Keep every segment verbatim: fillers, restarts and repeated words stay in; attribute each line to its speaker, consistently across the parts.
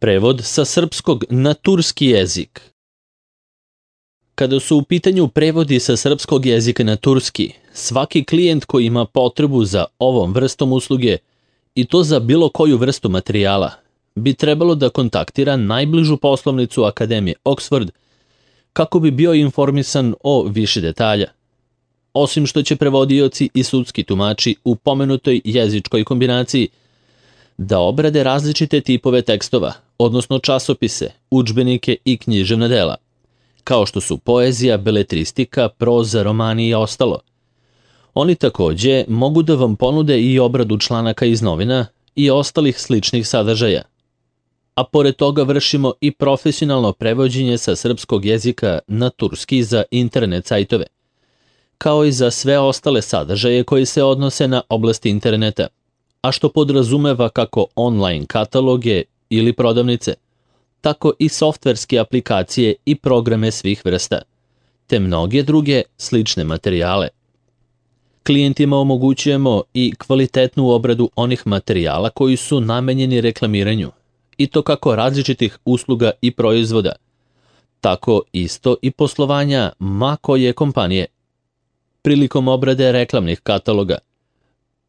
Speaker 1: Prevod sa srpskog na turski jezik. Kada su u pitanju prevodi sa srpskog jezika na turski, svaki klijent koji ima potrebu za ovom vrstom usluge i to za bilo koju vrstu materijala, bi trebalo da kontaktira najbližu poslovnicu Akademije Oxford kako bi bio informisan o više detalja. Osim što će prevodioci i sudski tumači u pomenutoj jezičkoj kombinaciji da obrade različite tipove tekstova, odnosno časopise, udžbenike i književna dela, kao što su poezija, beletristika, proza, romani i ostalo. Oni takođe mogu da vam ponude i obradu članaka iz novina i ostalih sličnih sadržaja. A pored toga vršimo i profesionalno prevođenje sa srpskog jezika na turski za internet sajtove, kao i za sve ostale sadržaje koji se odnose na oblasti interneta, a što podrazumeva kako online kataloge ili prodavnice, tako i softverske aplikacije i programe svih vrsta, te mnoge druge slične materijale. Klijentima omogućujemo i kvalitetnu obradu onih materijala koji su namenjeni reklamiranju, i to kako različitih usluga i proizvoda, tako isto i poslovanja ma koje kompanije. Prilikom obrade reklamnih kataloga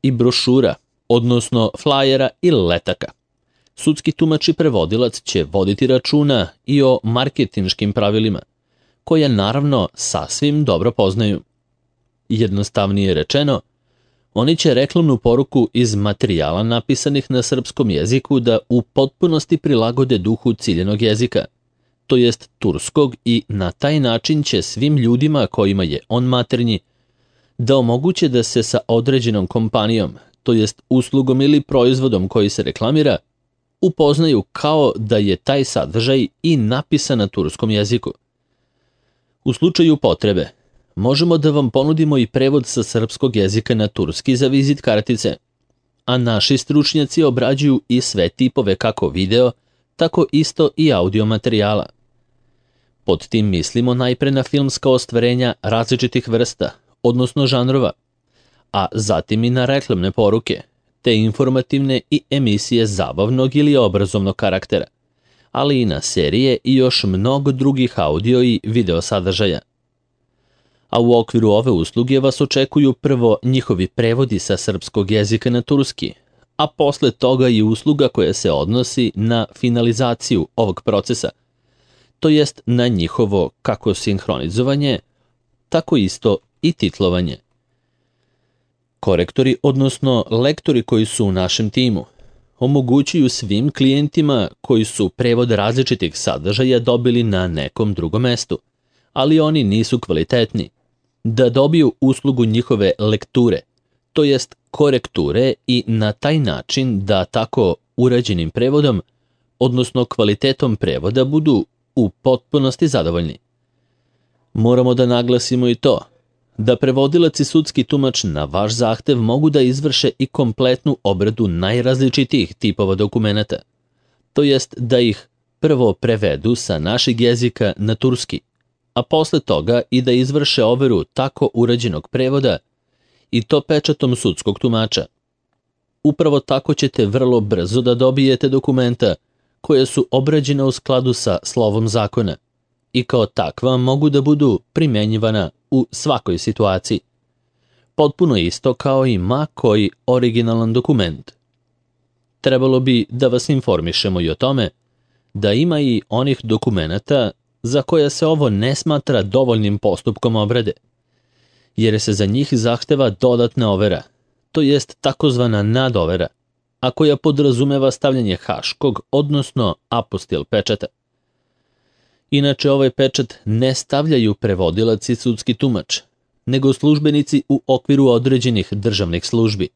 Speaker 1: i brošura, odnosno flajera i letaka, sudski tumač i prevodilac će voditi računa i o marketinškim pravilima, koje naravno sasvim dobro poznaju. Jednostavnije rečeno, oni će reklamnu poruku iz materijala napisanih na srpskom jeziku da u potpunosti prilagode duhu ciljenog jezika, to jest turskog, i na taj način će svim ljudima kojima je on maternji da omoguće da se sa određenom kompanijom, to jest uslugom ili proizvodom koji se reklamira, upoznaju kao da je taj sadržaj i napisan na turskom jeziku. U slučaju potrebe, možemo da vam ponudimo i prevod sa srpskog jezika na turski za vizit kartice, a naši stručnjaci obrađuju i sve tipove kako video, tako isto i audio materijala. Pod tim mislimo najpre na filmska ostvarenja različitih vrsta, odnosno žanrova, a zatim i na reklamne poruke, te informativne i emisije zabavnog ili obrazovnog karaktera, ali i na serije i još mnogo drugih audio i video sadržaja. A u okviru ove usluge vas očekuju prvo njihovi prevodi sa srpskog jezika na turski, a posle toga i usluga koja se odnosi na finalizaciju ovog procesa, to jest na njihovo kako sinhronizovanje, tako isto i titlovanje. Korektori, odnosno lektori koji su u našem timu, omogućuju svim klijentima koji su prevod različitih sadržaja dobili na nekom drugom mestu, ali oni nisu kvalitetni, da dobiju uslugu njihove lekture, to jest korekture, i na taj način da tako urađenim prevodom, odnosno kvalitetom prevoda, budu u potpunosti zadovoljni. Moramo da naglasimo i to da prevodilac i sudski tumač na vaš zahtev mogu da izvrše i kompletnu obradu najrazličitijih tipova dokumenata, to jest da ih prvo prevedu sa našeg jezika na turski, a posle toga i da izvrše overu tako urađenog prevoda i to pečatom sudskog tumača. Upravo tako ćete vrlo brzo da dobijete dokumenta koje su obrađena u skladu sa slovom zakona i kao takva mogu da budu primenjivana u svakoj situaciji. Potpuno isto kao i ma koji originalan dokument. Trebalo bi da vas informišemo i o tome da ima i onih dokumenata za koje se ovo ne smatra dovoljnim postupkom obrade, jer se za njih zahteva dodatna overa, to jest takozvana nadovera, a koja podrazumeva stavljanje haškog, odnosno apostil pečata. Inače, ovaj pečat ne stavljaju prevodilac i sudski tumač, nego službenici u okviru određenih državnih službi,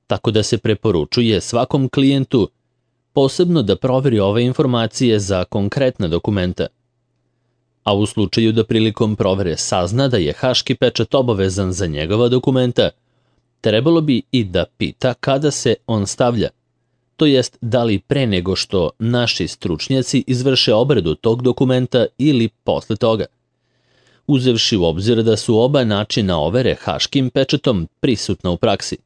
Speaker 1: tako da se preporučuje svakom klijentu posebno da proveri ove informacije za konkretna dokumenta. A u slučaju da prilikom provere sazna da je haški pečat obavezan za njegova dokumenta, trebalo bi i da pita kada se on stavlja, to jest da li pre nego što naši stručnjaci izvrše obradu tog dokumenta ili posle toga, uzevši u obzir da su oba načina overe haškim pečatom prisutna u praksi,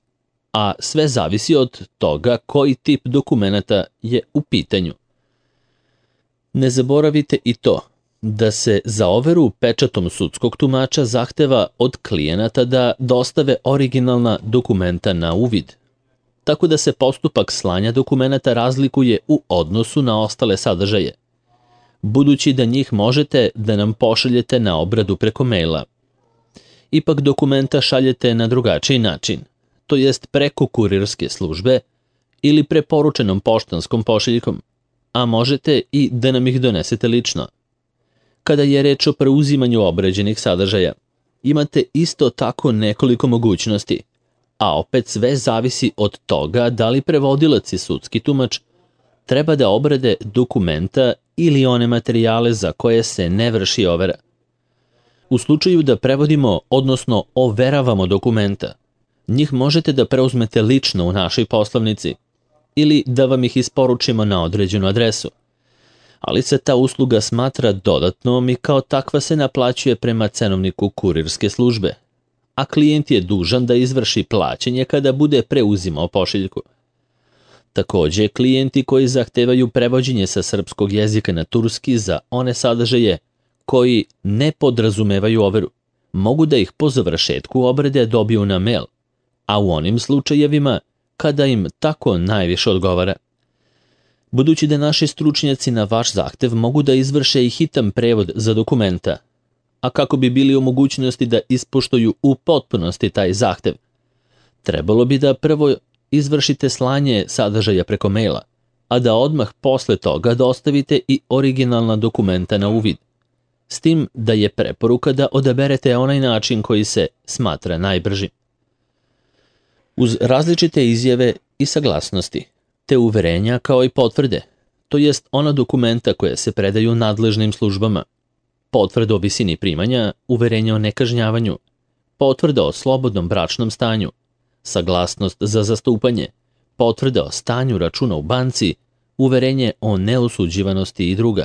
Speaker 1: a sve zavisi od toga koji tip dokumenata je u pitanju. Ne zaboravite i to da se za overu pečatom sudskog tumača zahteva od klijenata da dostave originalna dokumenta na uvid, tako da se postupak slanja dokumenata razlikuje u odnosu na ostale sadržaje, budući da njih možete da nam pošaljete na obradu preko maila. Ipak dokumenta šaljete na drugačiji način, to jest preko kurirske službe ili preporučenom poštanskom pošiljkom, a možete i da nam ih donesete lično. Kada je reč o preuzimanju obrađenih sadržaja, imate isto tako nekoliko mogućnosti, a opet sve zavisi od toga da li prevodilac i sudski tumač treba da obrade dokumenta ili one materijale za koje se ne vrši overa. U slučaju da prevodimo, odnosno overavamo dokumenta, njih možete da preuzmete lično u našoj poslovnici ili da vam ih isporučimo na određenu adresu, ali se ta usluga smatra dodatnom i kao takva se naplaćuje prema cenovniku kurirske službe, a klijent je dužan da izvrši plaćanje kada bude preuzimao pošiljku. Takođe, klijenti koji zahtevaju prevođenje sa srpskog jezika na turski za one sadržaje koji ne podrazumevaju overu, mogu da ih po završetku obrade dobiju na mail, a u onim slučajevima kada im tako najviše odgovara. Budući da naši stručnjaci na vaš zahtev mogu da izvrše i hitan prevod za dokumenta, a kako bi bili u mogućnosti da ispoštuju u potpunosti taj zahtev, trebalo bi da prvo izvršite slanje sadržaja preko maila, a da odmah posle toga dostavite i originalna dokumenta na uvid, s tim da je preporuka da odaberete onaj način koji se smatra najbržim. Uz različite izjave i saglasnosti, te uverenja kao i potvrde, to jest ona dokumenta koje se predaju nadležnim službama, potvrda o visini primanja, uverenja o nekažnjavanju, potvrda o slobodnom bračnom stanju, saglasnost za zastupanje, potvrda o stanju računa u banci, uverenje o neosuđivanosti i druga.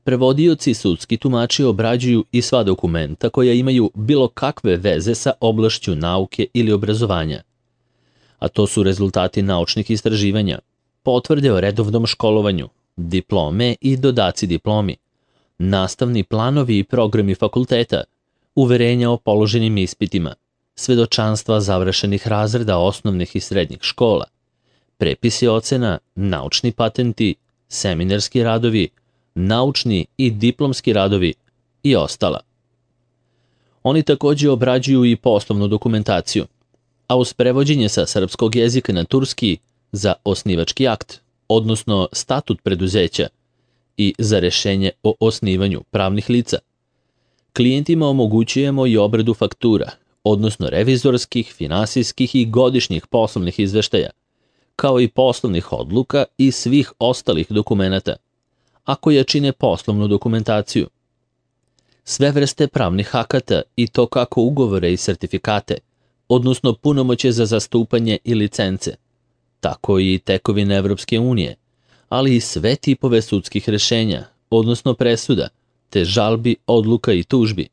Speaker 1: Prevodioci i sudski tumači obrađuju i sva dokumenta koja imaju bilo kakve veze sa oblašću nauke ili obrazovanja, a to su rezultati naučnih istraživanja, potvrde o redovnom školovanju, diplome i dodaci diplomi, nastavni planovi i programi fakulteta, uverenja o položenim ispitima, svedočanstva završenih razreda osnovnih i srednjih škola, prepisi ocena, naučni patenti, seminarski radovi, naučni i diplomski radovi i ostala. Oni takođe obrađuju i poslovnu dokumentaciju, a uz prevođenje sa srpskog jezika na turski za osnivački akt, odnosno statut preduzeća i za rešenje o osnivanju pravnih lica, klijentima omogućujemo i obradu faktura, odnosno revizorskih, finansijskih i godišnjih poslovnih izveštaja, kao i poslovnih odluka i svih ostalih dokumenata, a koje čine poslovnu dokumentaciju. Sve vrste pravnih akata i to kako ugovore i sertifikate, odnosno punomoće za zastupanje i licence, tako i tekovine Evropske unije, ali i sve tipove sudskih rešenja, odnosno presuda, te žalbi, odluka i tužbi.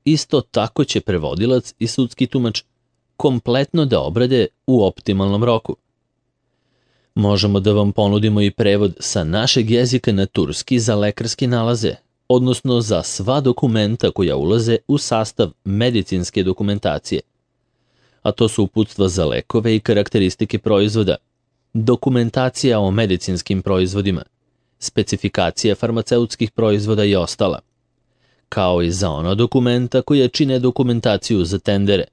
Speaker 1: Isto tako će prevodilac i sudski tumač kompletno da obrade u optimalnom roku. Možemo da vam ponudimo i prevod sa našeg jezika na turski za lekarske nalaze, odnosno za sva dokumenta koja ulaze u sastav medicinske dokumentacije, a to su uputstva za lekove i karakteristike proizvoda, dokumentacija o medicinskim proizvodima, specifikacija farmaceutskih proizvoda i ostala, kao i za ona dokumenta koja čine dokumentaciju za tendere,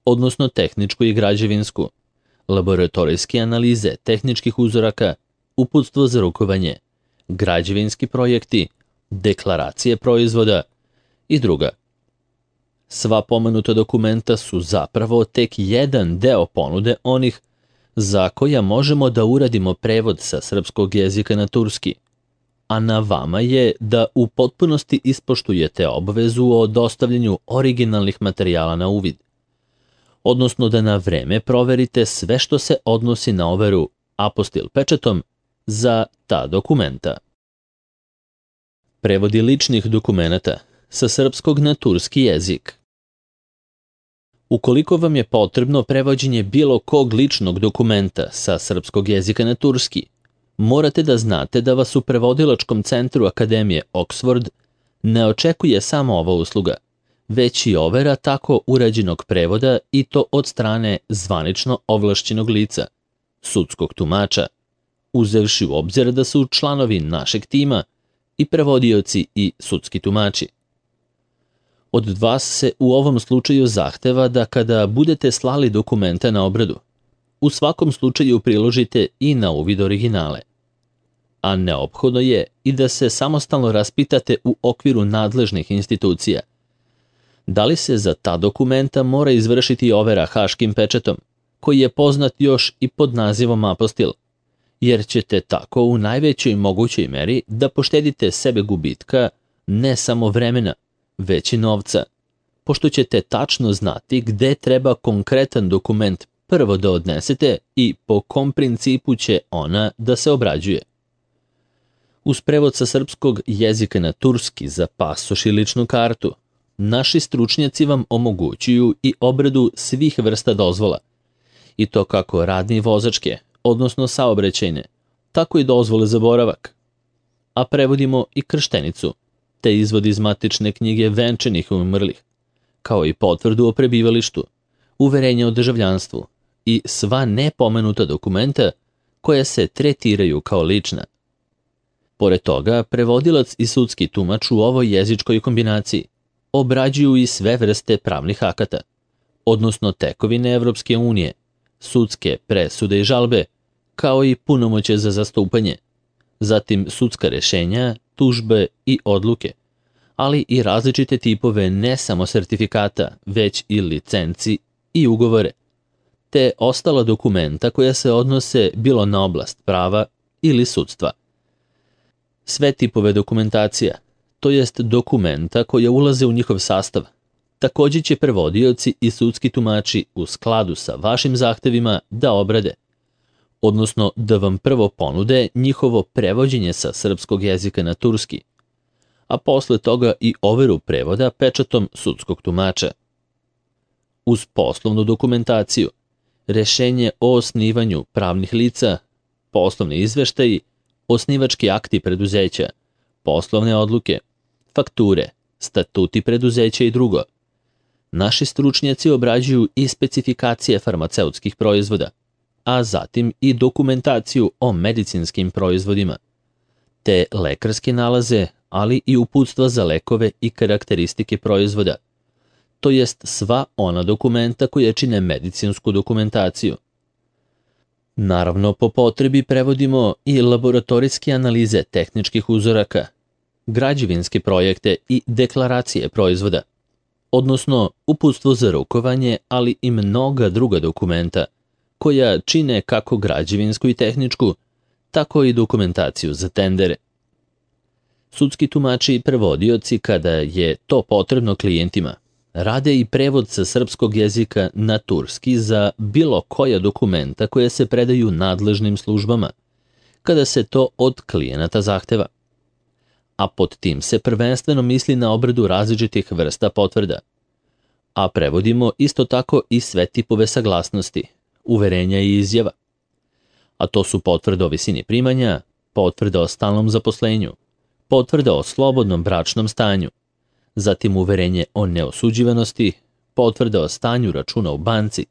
Speaker 1: odnosno tehničku i građevinsku, laboratorijske analize tehničkih uzoraka, uputstvo za rukovanje, građevinski projekti, deklaracije proizvoda i druga. Sva pomenuta dokumenta su zapravo tek jedan deo ponude onih za koja možemo da uradimo prevod sa srpskog jezika na turski, a na vama je da u potpunosti ispoštujete obvezu o dostavljanju originalnih materijala na uvid, odnosno da na vreme proverite sve što se odnosi na overu apostil pečatom za ta dokumenta. Prevodi ličnih dokumenata sa srpskog na turski jezik. Ukoliko vam je potrebno prevođenje bilo kog ličnog dokumenta sa srpskog jezika na turski, Morate da znate da vas u prevodilačkom centru Akademije Oxford ne očekuje samo ova usluga, već i overa tako urađenog prevoda i to od strane zvanično ovlašćenog lica, sudskog tumača, uzevši u obzir da su članovi našeg tima i prevodioci i sudski tumači. Od vas se u ovom slučaju zahteva da kada budete slali dokumente na obradu, u svakom slučaju priložite i na uvid originale. A neophodno je i da se samostalno raspitate u okviru nadležnih institucija. Da li se za ta dokumenta mora izvršiti overa haškim pečatom, koji je poznat još i pod nazivom apostil, jer ćete tako u najvećoj mogućoj meri da poštedite sebe gubitka ne samo vremena, već i novca, pošto ćete tačno znati gde treba konkretan dokument prvo da odnesete i po kom principu će ona da se obrađuje. Uz prevod sa srpskog jezika na turski za pasoš i ličnu kartu, naši stručnjaci vam omogućuju i obradu svih vrsta dozvola, i to kako radne i vozačke, odnosno saobraćajne, tako i dozvole za boravak. A prevodimo i krštenicu, te izvod iz matične knjige venčanih i umrlih, kao i potvrdu o prebivalištu, uverenje o državljanstvu i sva nepomenuta dokumenta koja se tretiraju kao lična. Pored toga, prevodilac i sudski tumač u ovoj jezičkoj kombinaciji obrađuju i sve vrste pravnih akata, odnosno tekovine Evropske unije, sudske presude i žalbe, kao i punomoćje za zastupanje, zatim sudska rešenja, tužbe i odluke, ali i različite tipove ne samo sertifikata, već i licenci i ugovore, te ostala dokumenta koja se odnose bilo na oblast prava ili sudstva. Sve tipove dokumentacija, to jest dokumenta koja ulaze u njihov sastav, također će prevodioci i sudski tumači u skladu sa vašim zahtevima da obrade, odnosno da vam prvo ponude njihovo prevođenje sa srpskog jezika na turski, a posle toga i overu prevoda pečatom sudskog tumača. Uz poslovnu dokumentaciju, rešenje o osnivanju pravnih lica, poslovni izveštaji, osnivački akti preduzeća, poslovne odluke, fakture, statuti preduzeća i drugo. Naši stručnjaci obrađuju i specifikacije farmaceutskih proizvoda, a zatim i dokumentaciju o medicinskim proizvodima, te lekarske nalaze, ali i uputstva za lekove i karakteristike proizvoda, to jest sva ona dokumenta koja čine medicinsku dokumentaciju. Naravno, po potrebi prevodimo i laboratorijske analize tehničkih uzoraka, građevinske projekte i deklaracije proizvoda, odnosno uputstvo za rukovanje, ali i mnoga druga dokumenta, koja čine kako građevinsku i tehničku, tako i dokumentaciju za tendere. Sudski tumači i prevodioci, kada je to potrebno klijentima, rade i prevod sa srpskog jezika na turski za bilo koja dokumenta koje se predaju nadležnim službama, kada se to od klijenata zahteva. A pod tim se prvenstveno misli na obradu različitih vrsta potvrda. A prevodimo isto tako i sve tipove saglasnosti, uverenja i izjava. A to su potvrde o visini primanja, potvrde o stalnom zaposlenju, potvrde o slobodnom bračnom stanju, zatim uverenje o neosuđivanosti, potvrde o stanju računa u banci,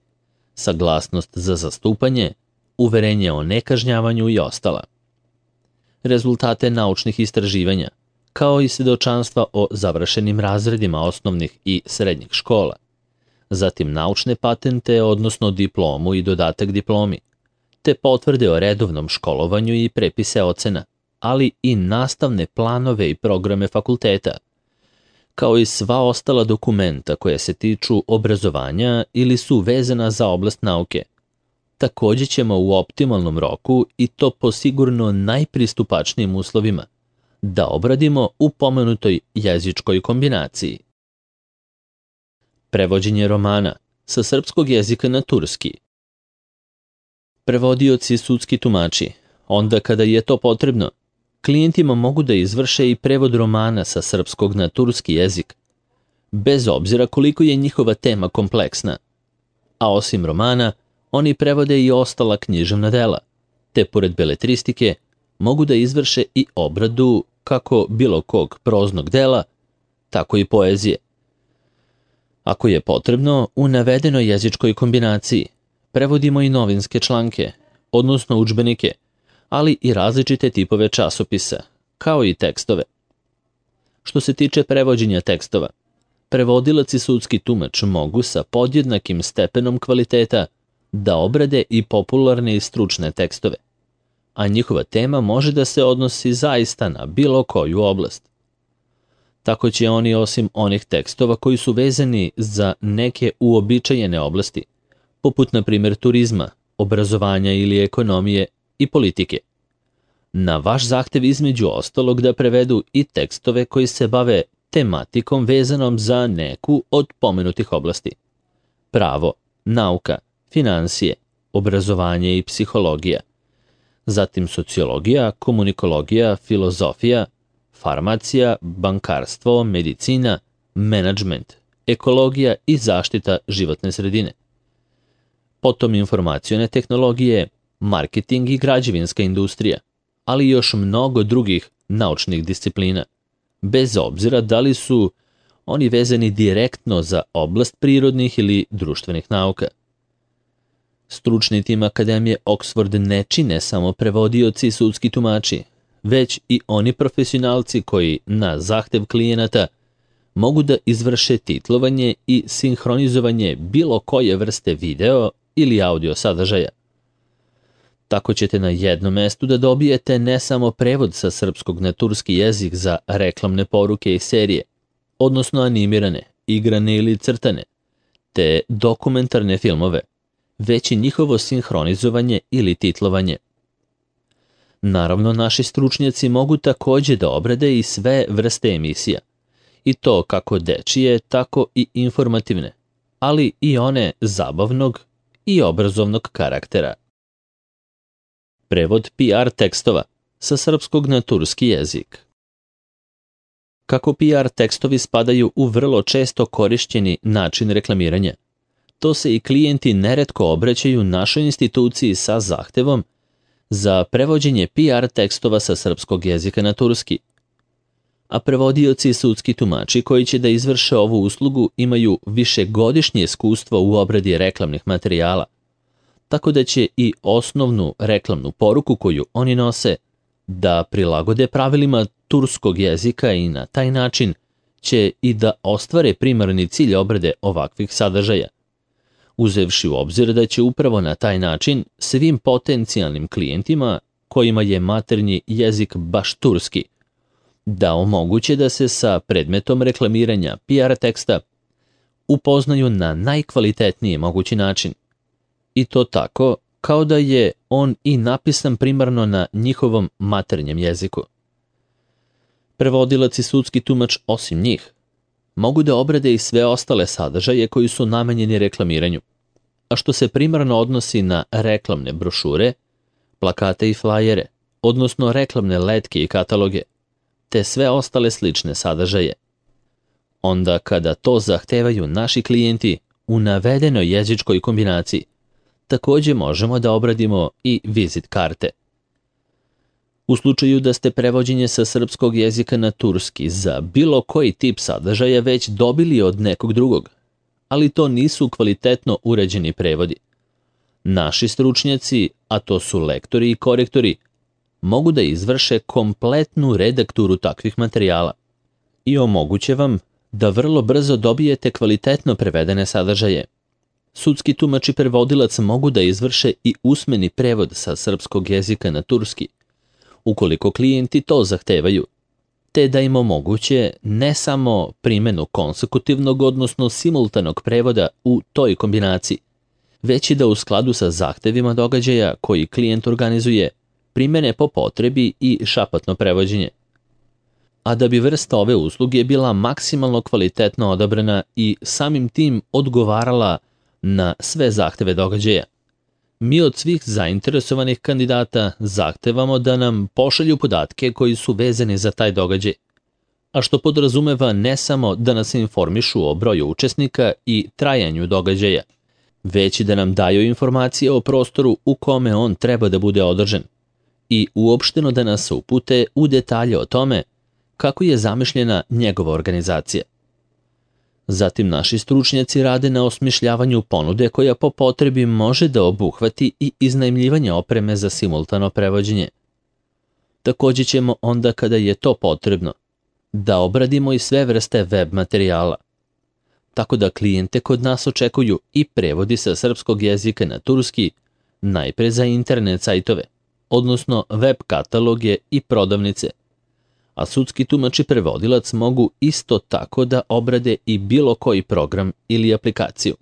Speaker 1: saglasnost za zastupanje, uverenje o nekažnjavanju i ostala. Rezultate naučnih istraživanja, kao i svedočanstva o završenim razredima osnovnih i srednjih škola, zatim naučne patente, odnosno diplomu i dodatak diplomi, te potvrde o redovnom školovanju i prepise ocena, ali i nastavne planove i programe fakulteta, kao i sva ostala dokumenta koja se tiču obrazovanja ili su vezana za oblast nauke. Također ćemo u optimalnom roku i to po sigurno najpristupačnijim uslovima da obradimo u pomenutoj jezičkoj kombinaciji. Prevođenje romana sa srpskog jezika na turski. Prevodioci i sudski tumači, onda kada je to potrebno, klijentima mogu da izvrše i prevod romana sa srpskog na turski jezik, bez obzira koliko je njihova tema kompleksna. A osim romana, oni prevode i ostala književna dela, te pored beletristike, mogu da izvrše i obradu kako bilo kog proznog dela, tako i poezije. Ako je potrebno, u navedenoj jezičkoj kombinaciji prevodimo i novinske članke, odnosno udžbenike, ali i različite tipove časopisa, kao i tekstove. Što se tiče prevođenja tekstova, prevodilac i sudski tumač mogu sa podjednakim stepenom kvaliteta da obrade i popularne i stručne tekstove, a njihova tema može da se odnosi zaista na bilo koju oblast. Tako će oni, osim onih tekstova koji su vezani za neke uobičajene oblasti, poput na primjer turizma, obrazovanja ili ekonomije i politike, na vaš zahtev između ostalog da prevedu i tekstove koji se bave tematikom vezanom za neku od pomenutih oblasti. Pravo, nauka, finansije, obrazovanje i psihologija, zatim sociologija, komunikologija, filozofija, farmacija, bankarstvo, medicina, menadžment, ekologija i zaštita životne sredine. Potom informacione tehnologije, marketing i građevinska industrija, ali i još mnogo drugih naučnih disciplina, bez obzira da li su oni vezani direktno za oblast prirodnih ili društvenih nauka. Stručni tim Akademije Oxford ne čine samo prevodioci i sudski tumači, već i oni profesionalci koji, na zahtev klijenata, mogu da izvrše titlovanje i sinhronizovanje bilo koje vrste video ili audio sadržaja. Tako ćete na jednom mestu da dobijete ne samo prevod sa srpskog na turski jezik za reklamne poruke i serije, odnosno animirane, igrane ili crtane, te dokumentarne filmove, već i njihovo sinhronizovanje ili titlovanje. Naravno, naši stručnjaci mogu također da obrade i sve vrste emisija, i to kako dečije, tako i informativne, ali i one zabavnog i obrazovnog karaktera. Prevod P R tekstova sa srpskog na turski jezik. Kako P R tekstovi spadaju u vrlo često korišćeni način reklamiranja, to se i klijenti neretko obraćaju našoj instituciji sa zahtevom za prevođenje P R tekstova sa srpskog jezika na turski. A prevodioci i sudski tumači koji će da izvrše ovu uslugu imaju višegodišnje iskustvo u obradi reklamnih materijala, tako da će i osnovnu reklamnu poruku koju oni nose da prilagode pravilima turskog jezika i na taj način će i da ostvare primarni cilj obrade ovakvih sadržaja, uzevši u obzir da će upravo na taj način svim potencijalnim klijentima kojima je maternji jezik baš turski, da omoguće da se sa predmetom reklamiranja P R teksta upoznaju na najkvalitetniji mogući način. I to tako kao da je on i napisan primarno na njihovom maternjem jeziku. Prevodilac i sudski tumač, osim njih, mogu da obrade i sve ostale sadržaje koji su namenjeni reklamiranju, a što se primarno odnosi na reklamne brošure, plakate i flajere, odnosno reklamne letke i kataloge, te sve ostale slične sadržaje. Onda kada to zahtevaju naši klijenti u navedenoj jezičkoj kombinaciji, također možemo da obradimo i vizit karte. U slučaju da ste prevođenje sa srpskog jezika na turski za bilo koji tip sadržaja već dobili od nekog drugog, ali to nisu kvalitetno uređeni prevodi, naši stručnjaci, a to su lektori i korektori, mogu da izvrše kompletnu redakturu takvih materijala i omoguće vam da vrlo brzo dobijete kvalitetno prevedene sadržaje. Sudski tumač i prevodilac mogu da izvrše i usmeni prevod sa srpskog jezika na turski, ukoliko klijenti to zahtevaju, te da im omoguće ne samo primjenu konsekutivnog, odnosno simultanog prevoda u toj kombinaciji, već i da u skladu sa zahtevima događaja koji klijent organizuje, primjene po potrebi i šapatno prevođenje. A da bi vrsta ove usluge bila maksimalno kvalitetno odabrana i samim tim odgovarala na sve zahteve događaja, mi od svih zainteresovanih kandidata zahtevamo da nam pošalju podatke koji su vezani za taj događaj, a što podrazumeva ne samo da nas informišu o broju učesnika i trajanju događaja, već i da nam daju informacije o prostoru u kome on treba da bude održan i uopšteno da nas upute u detalje o tome kako je zamišljena njegova organizacija. Zatim naši stručnjaci rade na osmišljavanju ponude koja po potrebi može da obuhvati i iznajmljivanje opreme za simultano prevođenje. Takođe ćemo onda kada je to potrebno da obradimo i sve vrste web materijala. Tako da klijente kod nas očekuju i prevodi sa srpskog jezika na turski, najpre za internet sajtove, odnosno web kataloge i prodavnice, a sudski tumač i prevodilac mogu isto tako da obrade i bilo koji program ili aplikaciju.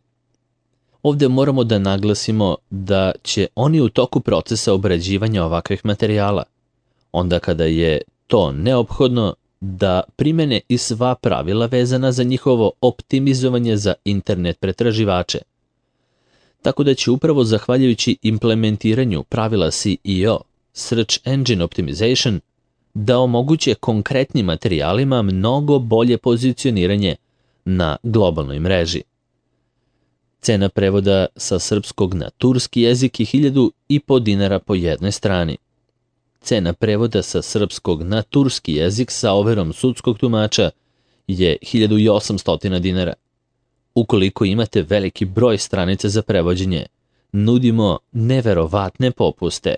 Speaker 1: Ovde moramo da naglasimo da će oni u toku procesa obrađivanja ovakvih materijala, onda kada je to neophodno, da primene i sva pravila vezana za njihovo optimizovanje za internet pretraživače. Tako da će upravo zahvaljujući implementiranju pravila S E O, Search Engine Optimization, da omoguće konkretnim materijalima mnogo bolje pozicioniranje na globalnoj mreži. Cena prevoda sa srpskog na turski jezik je hiljadu i po dinara po jednoj strani. Cena prevoda sa srpskog na turski jezik sa overom sudskog tumača je hiljadu i osamsto dinara. Ukoliko imate veliki broj stranica za prevođenje, nudimo neverovatne popuste.